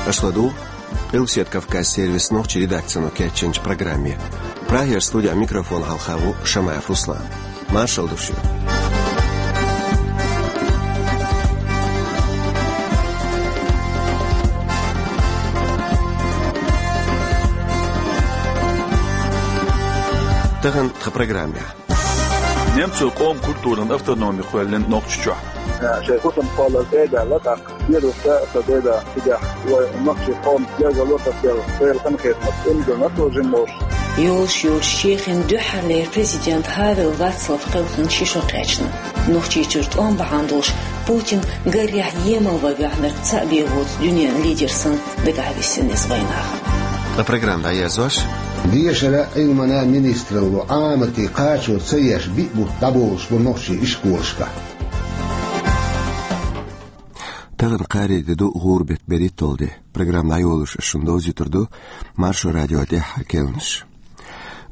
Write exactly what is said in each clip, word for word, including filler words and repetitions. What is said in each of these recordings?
Аша ладугӀу Къилбаседа Кавказан сервисан нохчийн редакцино кечйинчу программе. Прагера студин микрофонна хьалха ву Шамаев Руслан. Маршалла ду шуьга. Тахана тхан программехь. Немцойн къоман культуран автономи кхоьллина Нохчийчохь. Шайн хӀусамехь кхоллар тӀе а даьлла, тӀаккха вирус а ца дайда, цигахь вай нохчийн къоман гергарло тасаделла, Делан ханхетамца, цундела а тожина лош. Йолуш йолчу Чехин дуьххьарлера президент Хавел Вацлав кхелхина ши шо кхаьчна. Нохчийчуьра тӀом бахьана долуш Путин гарехь емал ван ваьхьнарг цхьаъ бен воцу дуьненан лидер санна дагахь висина иза вайнахана. Ткъа программа дӀаерзош. Дешара, Ӏилмана министралло Ӏамате кхачо ца еш биъ бутт дӀаболуш бу нохчийн ишколашкахь. Тахана кхаарин де ду, гӀуран беттан берхӀитталгӀа де. Программа дӀайолош ас шуна довзуьйтур ду Маршо радион тӀаьххьара керланаш.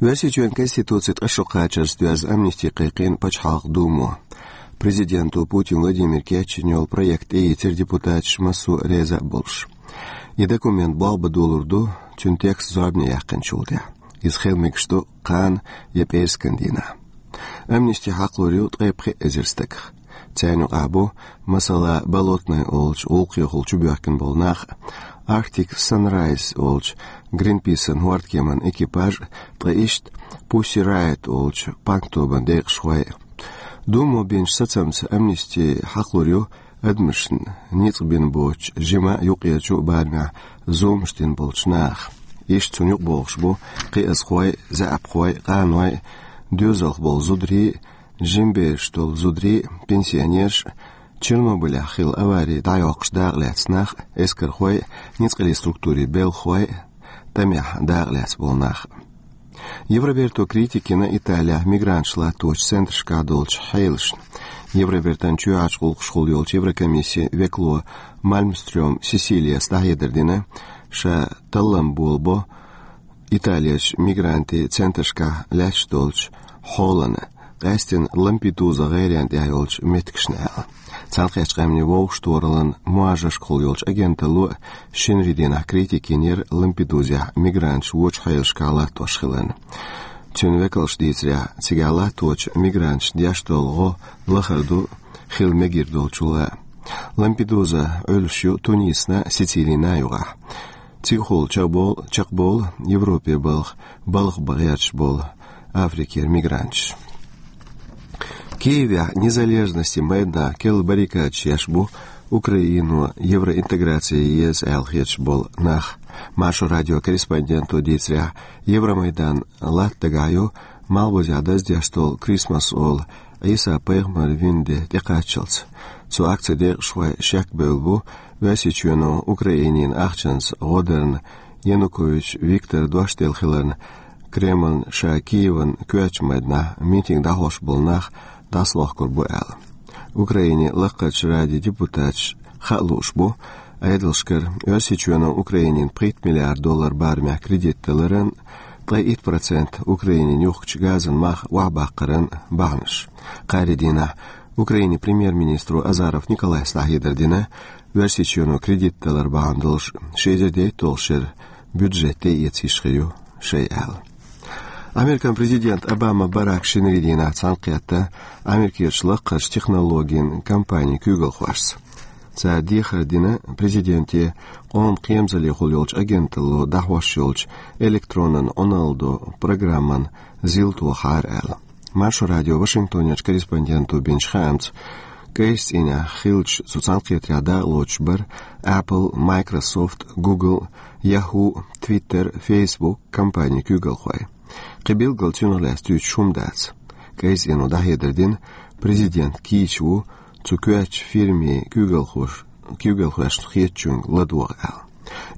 Оьрсийчоьнан Конституцин ткъа шо кхачарца доьзна амнисти кхайкхийна Пачхьалкхан Думо. Президенто Путин Владимира кечйина йолу проект тӀеийцира депутаташ массо а реза а болуш. И документ болх бан долур ду, цуьнан текст зорбане яьккхинчул тӀаьхьа. Иза хила мегаш ду кхана я пӀераскан дийнахь. Амнисти хьакхалур ю ткъе пхи эзар стагах. Царна юкъахь бу, масала, Болотный олучу гӀуллакхехула чубоьхкина болу нах, Arctic Sunrise олучу Гринписан хӀордкеман экипаж, ткъа иштта Pussy Riot олучу панк-тобан декъашхой. Думо бинчу сацамца амнисти хьакхалур ю адамашна, ницкъ бина боцучу, жима а, юккъерчу а барамехь зуламаш дина болчу наха. Иштта цунна юкъабогӀуш бу кхиазхой, заьӀапхой, къаной, доьзалх болу зударий, жима бераш долу зударий, пенсионераш, Чернобылехь хилла авари дӀайоккхуш дакъалаьцна нах, эскархой, ницкъаллин структурийн белхахой, тӀамехь дакъалаьцна болу нах. Евроберто критика йина Италехь мигранташ латточу центрашкахь долчу хьелашна. Евробертан чоьхьарчу гӀуллакхашкахула йолчу Еврокомиссин векало Мальмстрём Сесилияс дӀахьедар дина, ша таллам болабо Италерчу мигрантийн центрашкахь лаьтташ долчу хьолана, къаьсттина Лампедуза гӀеренна тӀехь йолчу меттигашна аьлла. Цхьаьнакхеттачу Къаьмнийн вовшахтохараллан муьжаршкахула йолчу агенталло шинарин дийнахь критика йинера Лампедузехь мигранташ вочу хьелашкахь латтош хиларна. Цуьнан векалша дийцарехь, цигахь латточу мигранташна деш долу гӀо лахара ду хила мегар долчул а. Лампедуза Ӏуьллуш ю Тунисна, Сицилина юкъахь. Цигахула чекхболу, чекхболу Европе балха балха бан гӀерташ болу Африкера мигранташ. Киевехь Незалежностин майданахь керла баррикадаш еш бу Украино евроинтеграци еза аьлла хеташ болу нах. Маршо радион корреспонденто дийцарехь, Евромайдан латта дагахь ю малхбузехь даздеш долу Крисмас олу Ӏийса пайхамар вина де тӀекхаччалц. Цу акцин декъашхой шек бевлла бу Оьрсийчоьно Украинина ахчанца гӀо дарна Янукович Виктора дош делла хиларна, Кремльна ша Киеван коьртачу майданахь митинг дӀахьош болу нах дӀасалохкур бу аьлла. Украинин Лакхарчу Радин депутаташ хаа лууш бу, Ӏедалшкара Оьрсийчоьно Украинина пхийтта миллиард доллар барамехь кредит даларан, ткъе итт процент Украинина юхкучу газан мах охьабаккхаран бахьанаш. Кхаарин дийнахь Украинин премьер-министро Азаров Николайс дӀахьедар дина, Оьрсийчоьно кредит далар бахьана долуш ши эзар дейтталгӀачу шеран бюджет тӀеэца йиш хир ю шайн аьлла. Американ президент Обама Барак шинарин дийнахь цхьаьнакхетта Америкерчу лакхарчу технологийн компанийн куьйгалхошца. Цара дехар дина президенте къоман кхерамзаллехула йолчу агенталло дӀахьош йолчу электронан Ӏуналдо программан зил тохахьара аьлла. Маршо радион Вашингтонерчу корреспонденто бинчу хаамца, кӀайчу цӀийнехь хиллачу цу цхьаьнакхетарехь дакъалоцуш бара Apple, Microsoft, Google, Yahoo, Twitter, Facebook компанийн куьйгалхой. Кхин билггал цунах лаьцна дуьйцуш хӀума дац. КӀайчу цӀено дӀахьедар дина, президент кийча ву цу коьртачу фирмийн куьйгалхош-, куьйгалхошна хетачуьнга ладогӀа аьлла.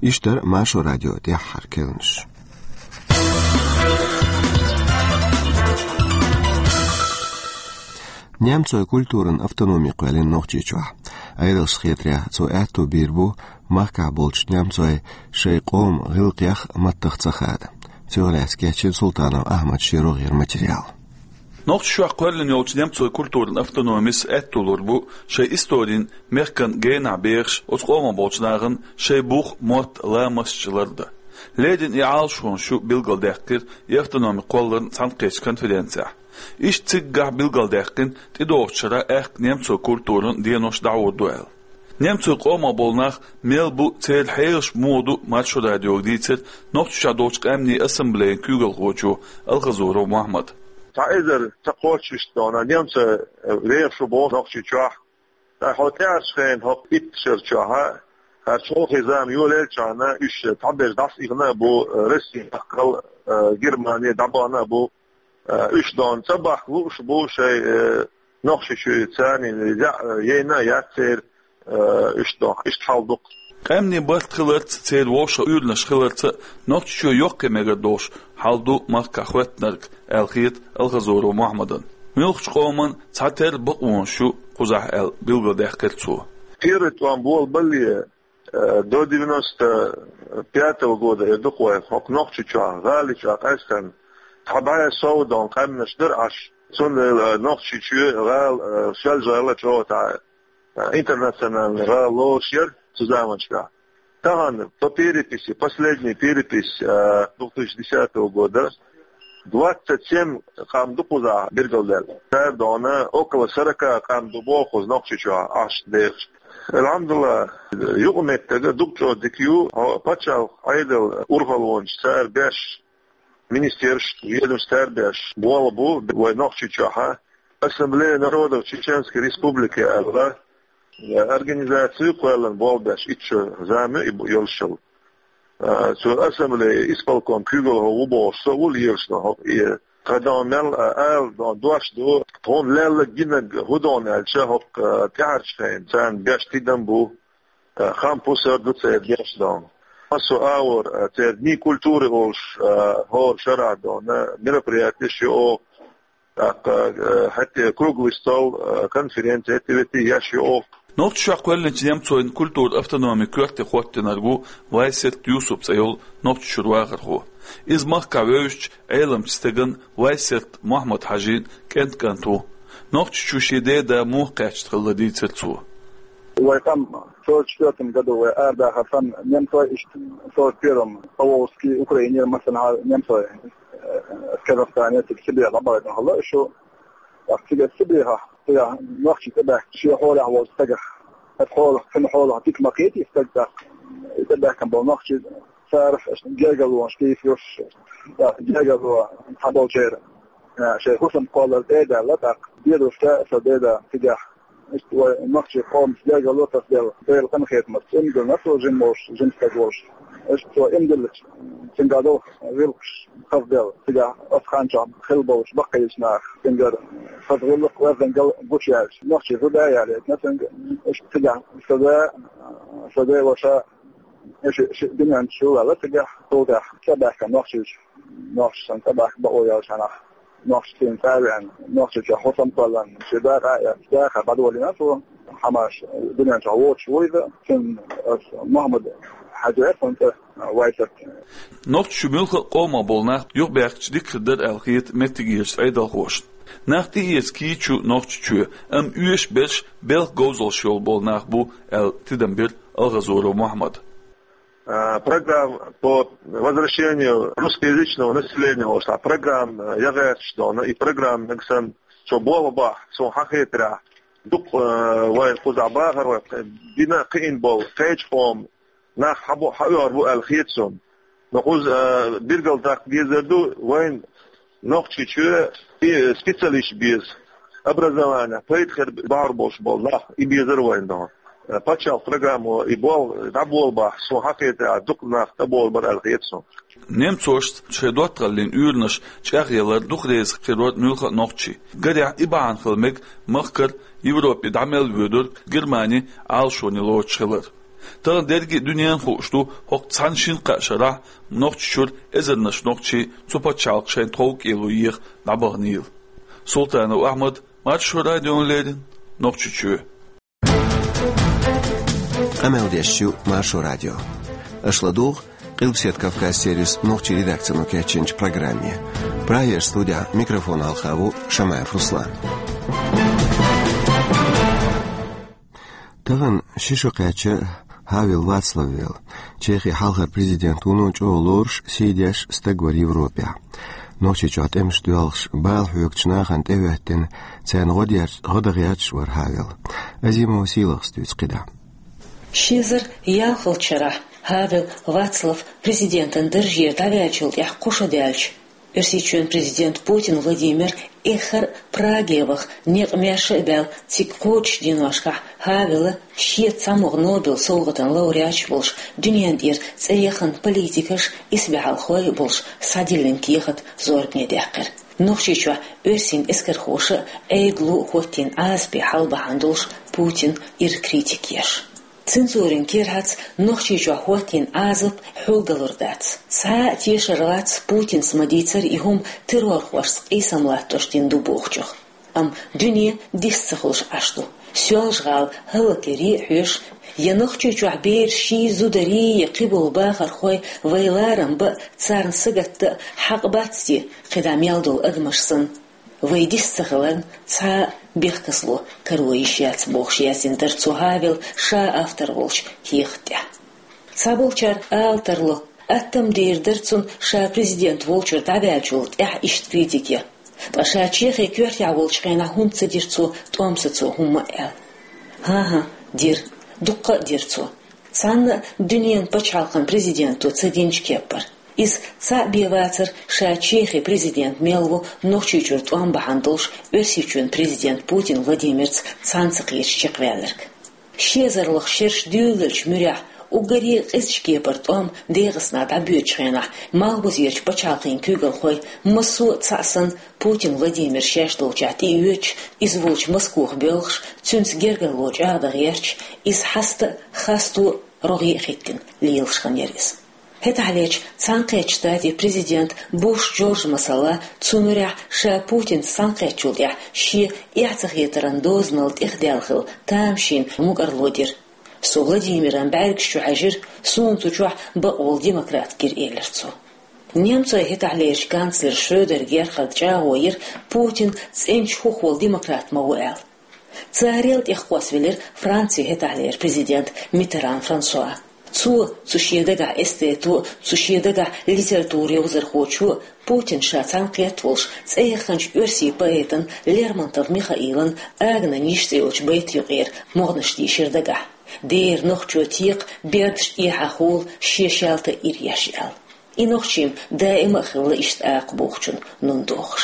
Иштта дара Маршо радион тӀаьххьара керланаш. Немцойн культуран автономи кхоьллина Нохчийчохь. Ӏедалшна хетарехь, цо аьтто бийр бу махкахь болчу немцойн шайн къоман гӀиллакхех а, маттах а ца хада. Цунах лаьцна кечйина Султанов Ахьмада шен рогӀера материал. Нохчийчохь кхоьллина йолчу немцойн культуран автономис аьтто лур бу шайн историн мехкан генахь бехаш оцу къомах болчу нахана шайн бух, мотт, ламасташ лардан. Леррина и Ӏалашонаш ю билгалдаьккхира и автономи кхолларна цхьаьнакхеттачу конференцехь. Иштта циггахь билгалдаьккхина тӀедогӀучу шарахь аьхка немцойн культуран денош дӀахьур ду аьлла. Немцойн къомах болу нах мел бу, церан хьелаш муха ду Маршо радиога дийцира Нохчийчохь долчу къаьмнийн ассамблеян куьйгалхочо Алхазуров Мохьмада. Цхьа эзар ца кхоччуш дона немцой вехаш ву боху Нохчийчохь. Ткъа хьо тӀаьхьарчу хенахь хӀокху итт шар чохь, хӀара чолхе зама йолаеллачхьана, уьш цхьаберш дӀасаихна а бу, Россия дахкал, Германи дӀабахана а бу, уьш дона цӀа бахка лууш бу шайн, Нохчийчуьра царна яа яйна а яц церан, уьш дона иштта хьал ду-кх. Къаьмнийн барт хиларца, церан вовшах уьйранаш хиларца а Нохчийчоь йоккхе мегар долуш хьал ду махкахь хӀоьттинарг, аьлла хета Алхазуров Мохьмадна. Муьлххачу къоман цхьатерра бакъонаш ю кхузахь аьлла билгалдаьккхира цо. Первый тӀом болабале, до девяносто пятого года эр ду-кх вай, хӀокху Нохчийчохь, гӀали чохь къаьстина, цхьа бӀе сов дона къаьмнаш дара Ӏаш. Цундела Нохчийчоь гӀала, Соьлжа-ГӀала чӀогӀа цхьа интернациональный гӀала лоруш яра цу заманчохь. Тахана по переписи, последняя перепись, две тысячи десятого года, двадцать семь къам ду кхузахь билгалдаьлла. Цара дона около сорока къам ду боху кхуза Нохчийчохь Ӏаш дехаш. Алхьамдулла, юкъаметтиг дукха чӀогӀа дика ю, хӀо пачхьалкх Ӏедал урхаллонаш цара беш, министерств, ведомств цара беш болх бу вай Нохчийчохь, Ассамблея народов Чеченской Республики аьлла, организаци кхоьллина болх беш, итт шо зама ю и бу-, йолуш йолу. Цу ассамблея исполком куьйгалхо ву бохуш со ву лелаш дона хӀокху, и тхан дона мел, ала дона дош ду, тхуна лелларг гинарг хӀун дона аьлча, хӀокху тӀаьхьарчу хенахь царна беш тидам бу, хам-пусар ду церан беш дона. Массо а агӀор церан дни культуры олуш, хӀора шарахь дона мероприятеш ю оха, тӀаккха хӀетте круглый стол, конференция, хӀетте-ветте еш ю оха. Нохчийчохь кхоьллинчу немцойн культуран автономин коьрте хӀоттийнарг ву Вайсерт Юсуп цӀе йолу Нохчийчуьра вахархо. Иза махкахь вевзачу Ӏеламчу стеган Вайсерт Мохьмад-Хьаьжин кӀентан кӀант ву. Нохчийчу шен деда муха кхаьчна хилла дийцира цо. Вай къам сорок четвёртом году вай арадахар санна немцой, иштта сорок первом Поволжский, Украинера массанхьа немцой, Казахстане, цига Сибре дӀабахийтина хилла уьш. ТӀаккха цига Сибрехахь, цигахь нохчий тӀебаьхкина шен хьолехь волчу стагах, хӀара хьолах, цуьнан хьолах дика ма кхетий стаг тӀаккха. И тӀебаьхкина болу нохчий царах гергарлонаш тийсалуш, тӀаккха гергарло цхьаболчеран шайн хӀусам кхоллар тӀе а даьлла, тӀаккха дедушка, сан деда цигахь. Иштта вай нохчийн къомаца гергарло тасаделла, Делан къинхетамца, иман диллина цо жима волуш, жима стаг волуш. Иштта цо иман диллича, цуьнгахь долу гӀиллакхаш хазаделла, цигахь оцу хан чохь хилла болчу баккхийчу наха цуьнгара хаза гӀиллакх, верзангал гучуяьлча, нохчийн зуда а ялийтина цуьнга. Иштта цигахь сан да, сан ден ваша, ши, ши дуьнен чу ваьлла цигахь, цул тӀаьхьа тӀебаьхкина нохчийчу, нохчашна тӀебаьхка бакъо яьллачу хенахь, нохчашна цӀа а веана, Нохчийчохь хӀусам кхоьллина, шен дакъа а эцна, дахар дӀадолийна цо, хӀуманаш дуьнен чохь воцуш ву иза, цуьнан аса Мохьмад-Хьаьжи аьлла цуьнан цӀе, Вайсерт. Нохчийчу муьлхха а къомах болу нах юхабаьхкича дика хир дара аьлла хета меттигерчу Ӏедалхошна. Нах тӀеэца кийча ю Нохчийчоь, амма оьшуш берш белхан говзаллаш йолу болу нах бу аьлла тидам бира Алхазуров Мохьмада. А, программа по возвращению русскоязычного населения, вот, а программа, а, я говорю, что, ну, и программа, нагсан, что болу бах, сон хьан хетаря, дукха, а, вай кхуза бахар, вай дина кхиъна болу кхечу къоман нах хьабо-, хьаоьхур бу аьлла хета сон. Но кхуза, а, билгалдаккха дезар ду, вайн Нохчийчоь и специалист беза. Образование, пайда хир бахьар болуш болу нах, и безар вайн дон. Пачхьалкх программо и бол, дӀаболу бахь, сон хьан хетаря, дукха нах тӀеболу бара аьлла хета сон. Немцошца шайн доттагӀаллин уьйранаш чӀагӀъялар дукха реза хир вара муьлхха а нохчий. Гарехь, и бахьана хила мега махкара Европе дӀа мел воьдург Германи Ӏалашоне лоцуш хилар. Тахана дерриге а дуьненна хууш ду, хӀокху цхьана шина-кхаа шарахь Нохчийчуьра эзарнаш нохчий цу пачхьалкхе шайн тховкӀело еха дӀабаханийла. Султанов Ахьмад, Маршо радиона леррина, Нохчийчоь. Къамел деш ю Маршо радио. Аша ладугӀу Къилбаседа Кавказ сервисан нохчийн редакцино кечйинчу программе. Прагера студехь микрофон хьалха ву Шамаев Руслан. Тахана ши шо кхаьчна Хавел Вацлав велла. Чехин хьалхара президент вуно чӀогӀа лоруш, сий деш стаг вара Европехь. Нохчийчохь тӀемаш доьлхуш, бала хьоьгучу нахана тӀехӀоьттина, царна гӀо дерш-, гӀо дан гӀерташ вара Хавел. Азимова Сийлахас дуьйцу кхидӀа. Ши эзар ялхалгӀачу шарахь Хавел Вацлав президентан даржера дӀаваьллачул тӀаьхьа кхо шо даьлча, Оьрсийчоьнан президент Путин Владимир эххар а Праге ваха, некъ маьрша а баьлла, цига кхочушденошкахь Хавела шеца цхьамогӀа Нобел совгӀатан лауреаташ болуш, дуьнен тӀера цӀе яхана политикаш, исбаьхьалхой а болуш, схьадиллина кехат зорбане даьккхира. Нохчийчохь оьрсийн эскархоша а, Ӏедало а хӀоттийна Ӏазапе хьал бахьана долуш Путин ира критика еш. Цензурин кирхьаца Нохчийчохь хӀоттийна Ӏазап хьулгалур дац. Цхьа а тешар вац Путинс ма-дийццара и хӀума террорхошца къийсам латтош дина ду бохучух. Амма дуьне дист ца хуьлуш Ӏаш ду. Соьлжа-ГӀала хӀаллакъяре а хьоьжуш, я Нохчийчохь бераш ший зударий, я кхиболу бахархой вай ларам бан а, царна сагатдан а хьакъ бац те, кхидӀа мел долу адамаш санна? Вай дист ца хиларна, цхьа а бехказло каро йиш яц, бохуш яздина дара цо Хавел ша автор волчу кехат тӀехь. Цхьаболчара ала тарло, аттам дийр дара цунна ша президент волчуьра дӀаваьллачул тӀаьхьа иштта критика ян. Ткъа ша Чехин коьртехь волчу хенахь хӀунда ца дира цо тӀом сацо хӀумма а аьлла? ХӀан-хӀа, дира. Дуккха а дира цо. Цхьанна а дуьненан пачхьалкхан президенто ца динчу кеппара. Иза цхьаъ бен вацара ша Чехин президент мел ву Нохчийчуьра тӀом бахьана долуш Оьрсийчоьнан президент Путин Владимирца цхьаьна ца кхеташ чекхваьлларг. Ши эзарлагӀа шераш дуьйлалучу муьрехь, уггаре а къизачу кепара тӀом ДегӀастанахь дӀабоьдучу хенахь, малхбузерчу пачхьалкхийн куьйгалхой массо а цхьаъ санна Путин Владимир шаьш долчохь тӀеоьцуш, иза волчу Москох боьлхуш, цуьнца гергарло чӀагӀдан гӀерташ, иза хьаста а, хасто а рогӀе а хӀиттина лелаш хинера иза. ХӀетахьлерчу Цхьаьнакхеттачу Штатийн президент Буш Джордж, масала, цу муьрехь ша Путинца цхьаьнакхеттачул тӀаьхьа шен эхь ца хетаран дозанал тӀехдаьлла хилла тамашийна мукӀарло дира. Со Владимиран бӀаьргаш чу хьаьжира, суна цу чохь бакъволу демократ гира, элира цо. Немцойн хӀетахьлерчу канцлера Шредер Герхарда чӀагӀо йира, Путин цӀеначу хӀух волу демократ ма ву аьлла. Царел тӀехкхоссавелира Францин хӀетахьлера президент Миттеран Франсуа. Цо, цу шен дагахь эстето а, цу шен дагахь литература йовзархочо а, Путин ша цхьаьнакхетта волуш, цӀе яханчу оьрсийн поэтан Лермонтов Михаилан «Агнан йиш» цӀе йолчу байтан юкъера могӀанаш дийшира дагахь. Дера нохчо текха бердаш тӀехьа хула шен шаьлта а ира еш аьлла. И нохчийн даима а хилла иштта акха бохучун нун дохуш.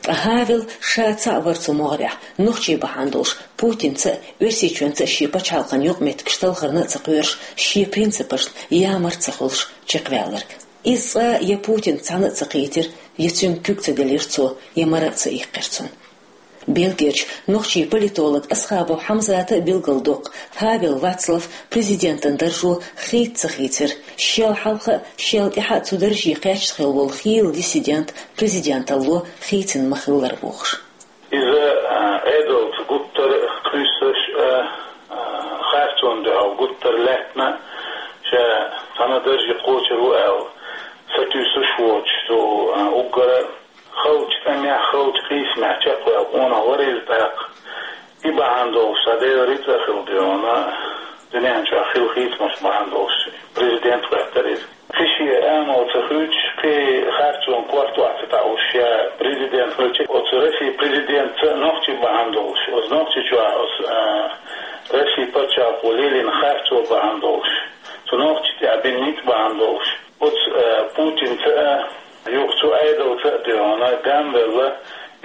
Ткъа Хавел ша цхьаъ вара цу могӀарехь, нохчий бахьана долуш, Путинца а, Оьрсийчоьнца а шен пачхьалкхан юкъаметтигаш талхарна а ца кхоьруш, шен принципашна ямарта ца хуьлуш чекхваьлларг. Иза цкъа а я Путинца цхьаьна а ца кхийтира, я цуьнга куьг ца делира цо, я мара а ца иккхира цунна. Бельгерчу нохчийн политолог Асхабов Хьамзата а билгалдоккху, Хавел Вацлав президентан даржо хийца ца хийцира, шел хьалха а, шел тӀаьхьа а цу дарже кхаьчна хилла волу хийла диссидент президенталло хийцина ма-хиллара бохуш. Иза, а, Ӏедалца гуттар а къуьйсуш а, а, харцонна дуьхьал гуттар а лаьттина а, ша цхьана дарже кхочур ву аьлла, сатуьйсуш воцуш цу, а, уггара халчу тӀамехь, халчу къийсамехь чекхваьлла къонах вара иза тӀаккха. И бахьана долуш, цхьа Делан рицкъа а хилла дуьйна, дуьнен чохь хилла хийцамаш бахьана долуш президент хӀоьттира иза. Кхин шен амал ца хуьйцуш, кхин харцонан корта охьа ца таӀуш, ша президент хилча, оцу Россин президентца а нохчий бахьана долуш, оцу Нохчийчохь оцу, а, Россин пачхьалкхо лелийна харцо бахьана долуш, цу нохчашна тӀехь бина ницкъ бахьана долуш, оцу, а, Путинца а, юха цу Ӏедалца а дуьйна гамвелла,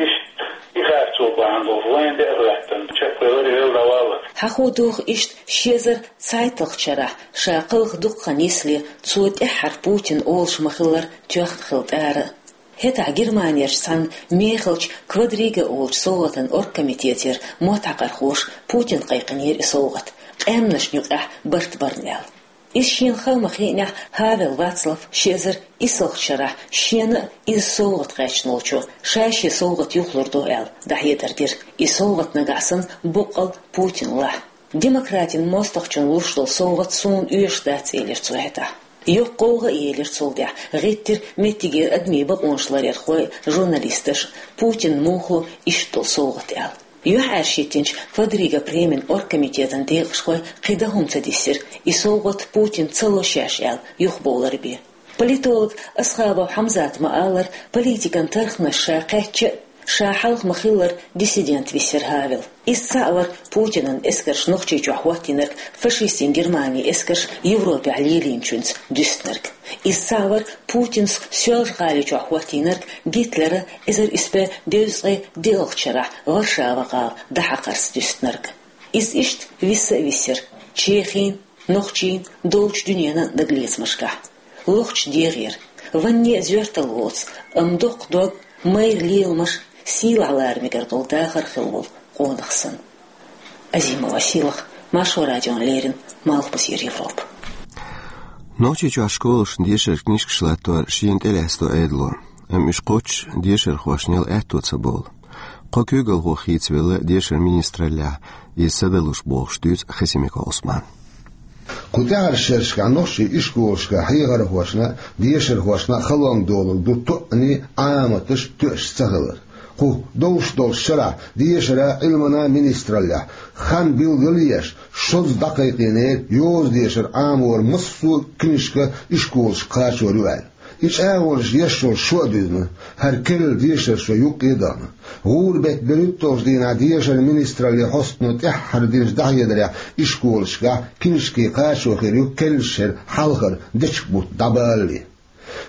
иштта и харцо бахьана долуш вайна тӀе а хӀоьттина, чекхвелира и велла дӀаваллалц. Хьахо духу иштта ши эзар цхьайтталгӀачу шарахь, ша кхалха дукха хан йисале, цо тӀаьххьара Путин олуш ма-хиллара тоьхна хилла тӀара а. ХӀетахь Германерчу цхьана мехалчу «Квадрига» олучу совгӀатан оргкомитетера мотт хьакхархоша Путинна кхайкхинера и совгӀат, къаьмнашна юкъахь барт барна аьлла. Иза шена хала ма-хиънехь, Хавел Вацлав ши эзар исалгӀачу шарахь шена а иза совгӀат кхаьчна волчо ша шен совгӀат юхалур ду аьлла, дӀахьедар дира. И совгӀат нагахь санна боккъал Путинна лахь. Демократийн мостагӀчунна луш долу совгӀат суна оьшуш дац, элира цо хӀетахь. Йоккха гӀовгӀа а елира цул тӀаьхьа, гӀеттира меттигера адамийн бакъонаш ларъярхой, журналисташ, Путина муха ло иштта долу совгӀат аьлла. ЮьхьӀаьржа хӀиттинчу Фадрига премин оргкомитетан декъашхой кхин дан хӀума ца диссира, и совгӀат Путина ца ло шаьш аьлла, юхабовлар бен. Политолог Асхабов Хьамзата ма-аллара, политикан тарханаш ша кхаьчча а, ша хьалха ма-хиллара диссидент висира Хавел. Иза цхьаъ вара Путинан эскарш Нохчийчохь хӀоттийнарг, фашистийн Германин эскарш Европехь лелийначуьнца дуьстинарг. Иза цхьаъ вара Путина Соьлжа-ГӀаличохь хӀоттийнарг, Гитлера эзар исс бӀе дезткъе диъалгӀачу шарахь Варшава-гӀала дӀахьакхарца дуьстинарг. Иза иштта виса а висира Чехин, Нохчийн, долчу дуьненан дагалецамашкахь. Лохча дегӀера, ванне а зоьртал воцу, амма доккха дог, майра леламаш, сийлахь лара мегар долу дахар хилла волу къонах санна. Азимова Сийлаха, Маршо радиона леррина, Малхбузера Европа. Нохчийчохь школашна дешаран книжкаш латтор шена тӀелаьцна ду Ӏедало, амма уьш кхоччуш дешархошна яла аьтто ца бовлу. Кхо куьйгалхо хийцавелла дешаран министраллехь, иза ца далуш бохуш дуьйцу Хасимиков Ӏусмана. Кху тӀаьхьарчу шерашкахь нохчийн ишколашкахь хьехархошна а, дешархошна а халонга долур ду тоъанийн, Ӏаматаш а тоьаш ца хилар. Кху довш долчу шарахь дешаран, Ӏилманан министраллехь хан билгал а еш, шозза дӀакхайкхийнера йоза дешар Ӏаморан массо а книжка ишколашка кхачор ю аьлла. И чӀагӀонаш еш йолу шо а дуьзна, хӀара керла дешаран шо юккъе а дахана. ГӀуран беттан берхӀитталгӀачу дийнахь дешаран министраллин хьостано тӀаьххьара динчу дӀахьедарехь ишколашкахь книжкийн кхачо хир ю керлачу шеран хьалхара дечиг-бутт дӀабалале.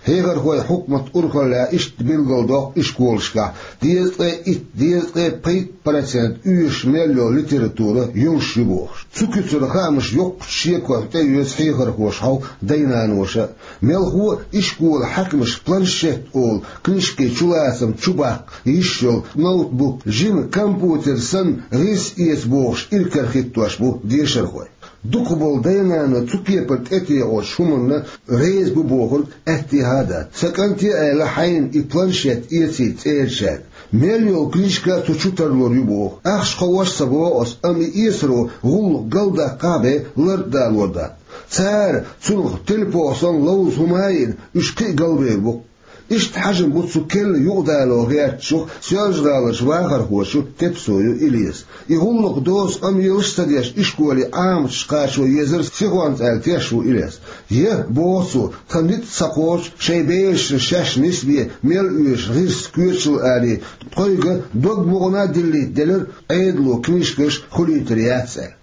Хьехархойн хьукматан урхаллехь иштта билгалдоккху ишколашкахь дезткъе итт, дезткъе пхийтта процент оьшуш мел йолу литература йолуш ю бохуш. Цу куьцара хаамаш йоккхачу шеконна тӀеоьцу хьехархоша хьовха дай-наноша а. Мелхо а ишколан хьаькамаш планшет олу книжкийн чулацам чубаккха йиш йолу ноутбук, жима компьютер санна гӀирс эца бохуш иракарахӀиттош бу дешархой. Дукхахболу дай-нана цу кепара тӀетеӀочу хӀуманна реза бу бохург аьттехьа а дац. Сан кӀанте а аьлла, хьайна и планшет эцийта цӀерачаьрга. Мел йолу книжка а цу чу тарлур ю боху. Ахча кхоош а ца боху ас, амма и эцаро гӀуллакх галдаккхахь а бен лартӀадалор дац. Цара цунах телепох санна ловза хӀума а йина, уьш кхин а галбевр бу-кх. Иштта хьажам бу цу керла юкъадало гӀертачух Соьлжа-ГӀаларчу вахархочух Тепсоев Илесан. И гӀуллакх доцу къамелаш а ца деш ишколе Ӏаматаш кхачо езар сихонца аьлла теш ву Илес. Я, боху цо, тхан ницкъ ца кхочу шайн берашна шаьш нисбе мел оьшу гӀирс коьчал а алий, тхоьга дог мукъана а диллийта делира, Ӏедало книжкаш хуьлуьйтур яц аьлла.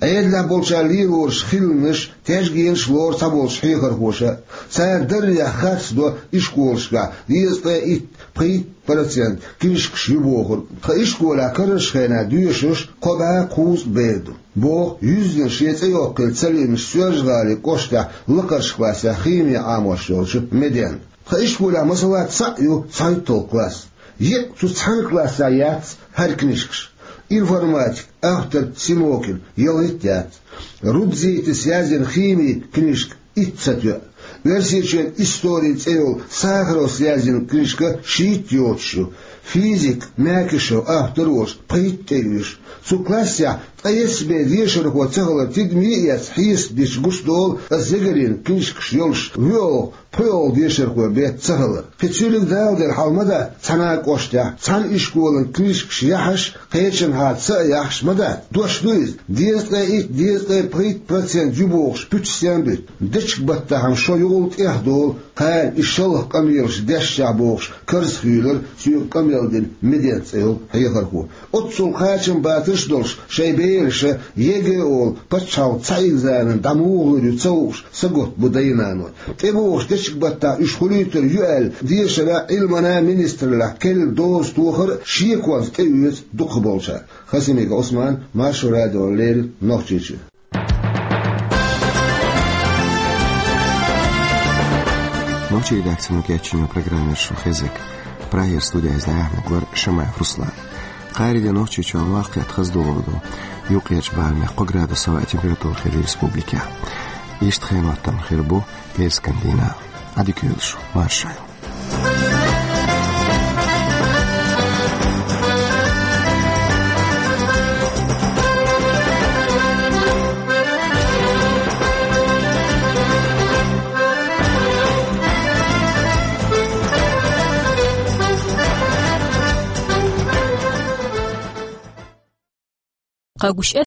Ӏедалехь болчара лелораш хиланаш, тешнабехкаш лору цхьаболчу хьехархоша. Цара даррех харцдо ишколашкахь дезткъе итт, пхийтта процент книжкаш ю бохург. Тхан ишколехь карарчу хенахь доьшурш кхо бӀе кхузткъа бер ду, боху юьззина шен цӀе йоккхийла ца лиъначу Соьлжа-ГӀалин кӀоштехь лакхарчу классехь хими Ӏамош йолчу Медена. Тхан ишколехь масала цхьаъ ю цхьайтталгӀа класс. Еккъа цу цхьана классехь яц хӀара книжкаш. Информатика, автор Симокин, ялхитта яц. Рудзитис язйина хими книжка итт ца тоьа. Оьрсийчоьнан историн цӀе йолу Сахаровс язйина книжка шийтта йоцуш ю. Физик Мякишев автор волуш пхийтта тӀеоьшу. Цу классехь ткъе исс бен дешархо ца хилар тидаме а эцна хьесап дича гучудолу, ас Зегарин книжкаш йолуш воьалгӀа, пхоьалгӀа дешархой бен ца хилар. Кхин цуьнга дала дерг хьал ма дац цхьана а кӀоштехь, цхьана ишколан книжкаш яхьаш, кхечанхьа ца а яхьаш ма дац. Дош ду иза, дезткъе итт, дезткъе пхийтта процент ю бохуш пуьташ стенна буьту? Дечиг баттахь-м шо юкъал тӀехдолу, кхара и шалха къамелаш дешшехь бохуш карзахйоьлура соьга къамел дина Медена цӀе йолу хьехархо. Оццул кхачамбатарш а долуш, шайн бераша ЕГЭ олу пачхьалкхан цхьа экзамен дӀа муха лур ю ца хууш, сагатта бу дай-наной. ТӀебогӀуш дечиг баттахь уьш хуьлуьйтур ю аьлла, дешаран, Ӏилманан министраллехь керла доза тохар а шеконца тӀеоьцу дукхахболчара. Хасимиков Ӏусман, Маршо радиона леррина, Нохчийчоь. Нохчийн редакцино кечйина программа яра шун хезнарг. Прагера студехь иза дӀаяьхьнарг вара Шамаев Руслан. Кхаарин де Нохчийчохь ваккхетта хаза догӀур ду. Юккъерчу барамехь кхо градус хӀаваан температура хир ю республикехь. Иштта хенан хӀоттам хир бу пӀераскан дийнахь. Ӏадика йойла шу, марша Ӏойла. къэгущыӀэ